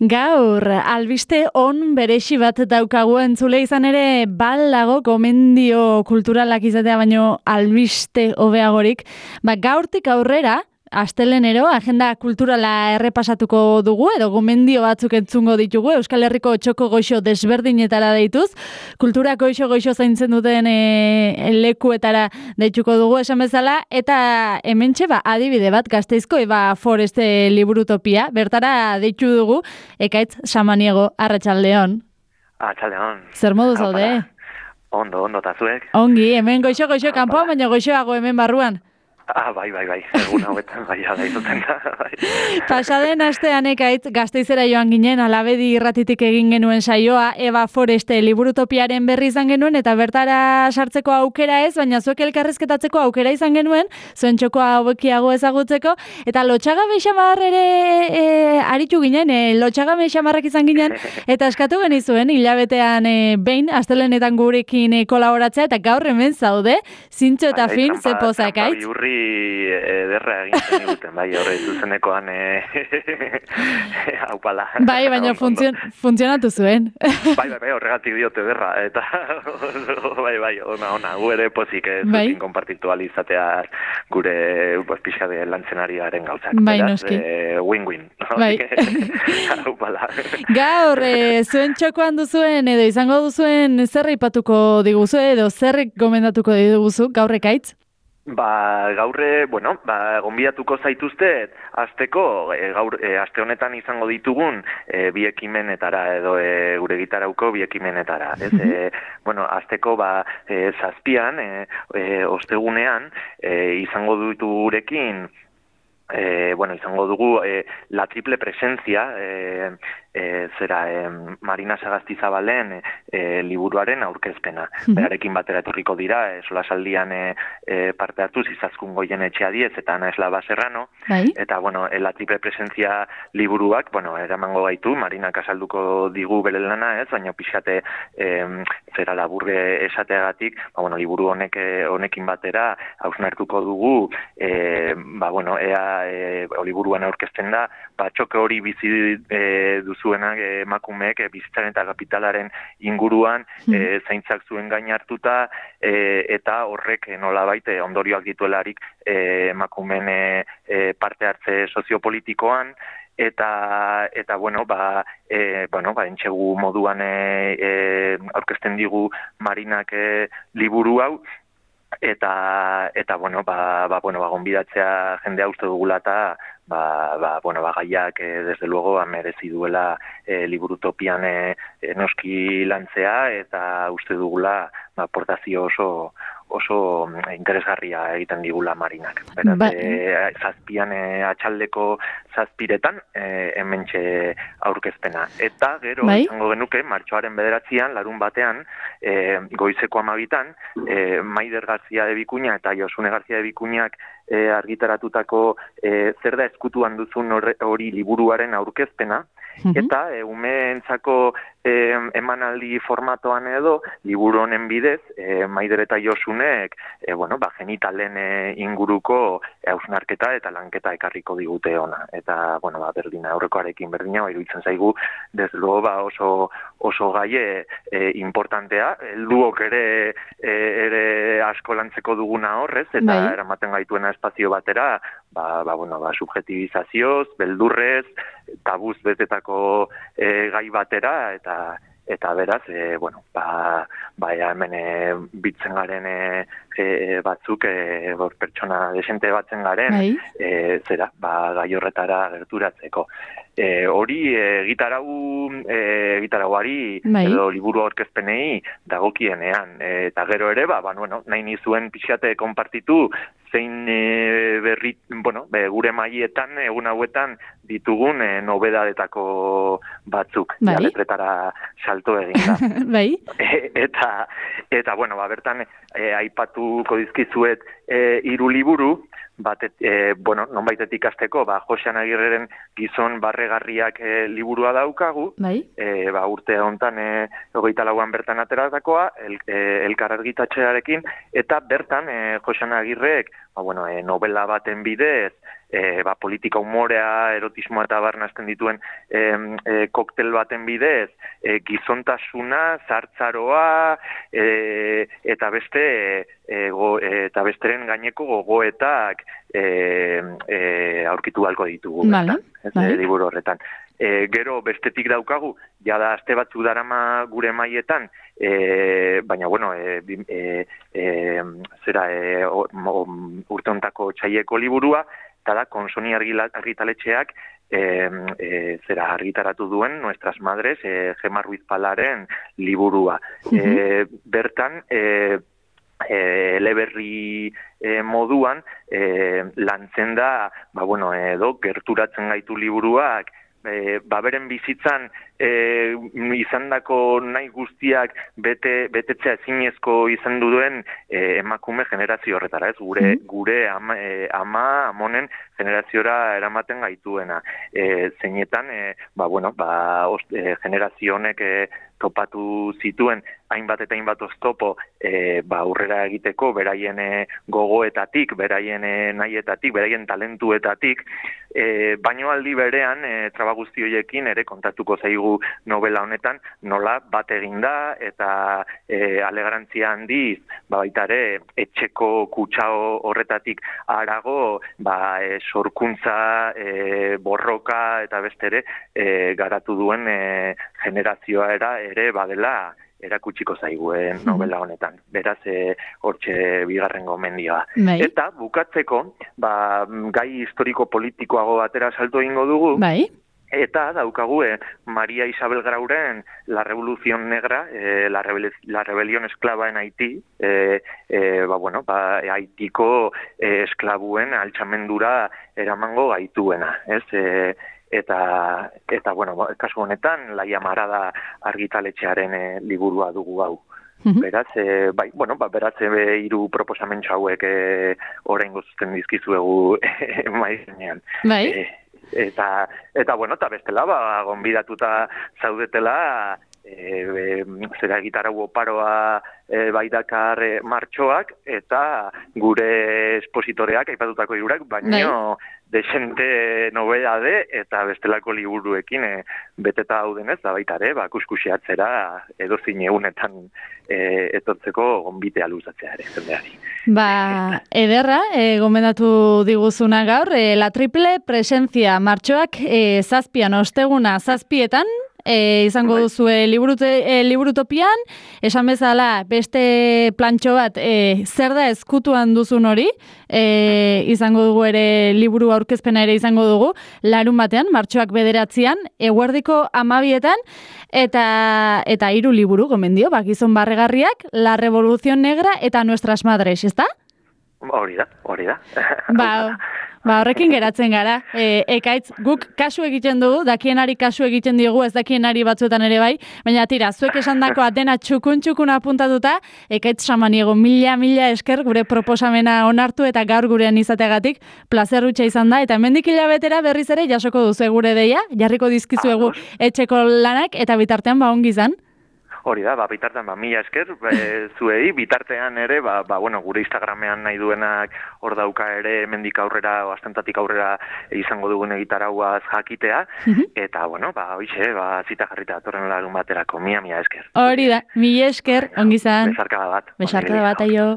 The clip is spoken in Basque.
Gaur, albiste on beresi bat daukagu entzule izan ere balago gomendio kulturalak izatea baino albiste hobeagorik. Gaurtik aurrera, astelenero, agenda kulturala errepasatuko dugu, edo gomendio batzuk entzungo ditugu, Euskal Herriko txoko goixo desberdinetara deituz, kultura goixo zaintzen duten lekuetara deituko dugu esan bezala, eta hementxe adibide bat Gasteizko Foreste liburutopia, bertara deitu dugu, Ekaitz Samaniego, arratsaldeon. Arratsaldeon. Zer modu zaude? Ondo, ta zuek? Ongi, hemen goixo kanpoan, baina goixoago hemen barruan. Bai. Egun hauetan bai izaten da. Pasaden astean Ekaitz Gasteizera joan ginen, Alabedi irratitik egin genuen saioa, Foreste liburutopiaren berri izan genuen, eta bertara sartzeko aukera ez, baina zuek elkarrizketatzeko aukera izan genuen, zuen txokoa hobekiago ezagutzeko, eta lotxagabe xamar ere aritu ginen, lotxagabe xamarrak izan ginen, eta eskatu genizuen, hilabetean behin, astelenetan gurekin kolaboratzea, eta gaur hemen zaude, zintxo eta fin, ze poza Ekaitz. Ederra egin diguten, bai, horre zuzenekoan haupala. Bai, baina funtzionatu zuen. Bai, horregatik diote ederra, eta bai, ona, gu ere pozik zuekin konpartitu alizatea gure pixade lantzenariaren gauzak. Bai, noski. Win-win. Bai. Haupala. Gaur, zuen txokoan duzuen, edo izango duzuen zer aipatuko diguzu, edo zer gomendatuko diguzu, gaur Ekaitz? Gaurre, gonbidatuko zaituztet, azteko, aste honetan izango ditugun bi ekimenetara, edo gure gitarauko bi ekimenetara. Azteko, zazpian, ostegunean, izango ditu gurekin, izango dugu la triple presencia, Marina Sagastizabalen liburuaren aurkezpena. Berarekin batera etorriko dira, solasaldian parte hartuz Izaskun Goien Etxeadiez eta Ana Eslaba Serrano, eta la triple presencia liburuak, eramango gaitu, Marinak azalduko digu bere lana ez, baina pixate laburre esateagatik, liburu honekin batera hausnartuko dugu, liburuan aurkezten da, txoke hori bizi duzuenak emakumeek bizitzaren eta kapitalaren inguruan zaintzak zuen gain hartuta, eta horrek nolabait ondorioak dituelarik emakumeen parte hartze soziopolitikoan, eta entxegu moduan aurkezten digu Marinak liburu hau, eta gonbidatzea jendea uste dugula eta gaiak desde luego merezi duela liburutopian noski lantzea, eta uste dugula aportazio oso interesgarria egiten digula Marinak. Beraz, zazpian atxaldeko zazpiretan hementxe aurkezpena. Eta gero, izango genuke, martxoaren 9, larun batean, goizeko 12, Maider Garzia de Bikuña eta Josune Garzia de Bikuñak argitaratutako zer da eskutuan duzun hori liburuaren aurkezpena, eta umeentzako emanaldi formatoan edo, liburu honen bidez, Maider eta Josunek genitalen inguruko hausnarketa eta lanketa ekarriko digute ona. Eta, berdina, aurrekoarekin berdina, iruditzen zaigu, desde luego, oso gaie importantea, helduok ere asko lantzeko duguna horrez, eta eramaten gaituena espazio batera, subjetivizazioz, beldurrez, tabuz betetako gai batera, eta beraz, hemen bitzen garen batzuk, pertsona desente batzen garen, gai horretara gerturatzeko. Hori gitarauari edo liburu aurkezpenei dagokienean, eta gero ere, nahi nizuen pixate konpartitu zein berri, gure maietan, egun hauetan ditugun nobedadetako batzuk, letretara salto egin da. Eta, bertan, aipatuko dizkizuet 3 liburu, nonbaitetik ikasteko, Josean Agirreren Gizon barregarriak liburua daukagu, urte hontan 24an bertan ateratakoa, Elkar argitatxearekin, eta bertan Josean Agirrek novela baten bidez, politika umorea, erotismoa eta barnazten dituen koktel baten bidez, gizontasuna, zartzaroa, eta besteren gaineko gogoetak aurkitu halko ditugu. Liburu horretan. Gero bestetik daukagu, jada aste batzu darama gure maietan, baina, urte hontako txaieko liburua, eta da, Konsoni argitaletxeak argitaratu duen Nuestras Madres, Gema Ruiz Palaren liburua. Bertan, eleberri moduan, lantzen da, gerturatzen gaitu liburuak, beren bizitzan izandako nahi guztiak betetzea ezinezko izan duen emakume generazio horretara, ez? Gure amonen generaziora eramaten gaituena. Zeinetan, generazio honek topatu zituen hainbat eta hainbat oztopo aurrera egiteko, beraien gogoetatik, beraien nahietatik, beraien talentuetatik, baino aldi berean, traba guzti horiekin ere kontatuko zaigu novela honetan, nola bat eginda eta alegarantzia handiz, baita ere, etxeko kutsa horretatik harago, sorkuntza, borroka eta bestere garatu duen generazioa ere badela erakutsiko zaiguen novela honetan. Beraz, hortxe bigarren gomendioa. Eta, bukatzeko, gai historiko-politikoago batera salto egingo dugu, eta daukagu Maria Isabel Grauren La Revolución Negra, la rebelión esclava en Haití, Haitiko esklabuen altxamendura eramango gaituena, ez? Eta kasu honetan, Laia Marada argitaletxearen liburua dugu hau. Beraz, beraz, hiru proposamentxo hauek oraingo zuzten dizkizuegu maizenean. Eta bestela, gonbidatuta zaudetela, gitarau oparoa baidakar martxoak, eta gure espositoreak, aipatutako hirurak, baino desente nobedade eta bestelako liburuekin beteta daudenez, da baita ere, kuskusiatzera edozin egunetan etortzeko gonbitea luzatzea ere, jendeari. Ederra, gomendatu diguzuna gaur, la triple presencia martxoak zazpian, osteguna zazpietan, izango duzue liburutopian, esan bezala beste plantxo bat zer da ezkutuan duzun hori, izango dugu ere liburu aurkezpena ere izango dugu, larun batean, martxoak 9, eguerdiko 12, eta 3 liburu gomendio, Gizon barregarriak, La Revolución Negra eta Nuestras Madres, ezta? Hori da. Horrekin geratzen gara. Ekaitz, guk kasu egiten dugu, dakienari kasu egiten diogu, ez dakienari batzuetan ere bai, baina tira, zuek esandakoa dena txukun apuntatuta, Ekaitz Samaniego, mila esker gure proposamena onartu eta gaur gurean izateagatik plazer hutsa izan da, eta hemendik hilabetera berriz ere jasoko duzu gure deia, jarriko dizkizuegu etxeko lanak, eta bitartean ongi izan. Hori da, bitartean, mila esker, zuei, bitartean ere, gure Instagramean nahi duenak hor dauka ere, mendik aurrera, astentatik aurrera izango dugun egitarauaz jakitea, eta, hoixe, zita jarrita atorren larun baterako, mila esker. Hori da, mila esker, ongi izan. Besarkada bat. Besarkada bat, aio.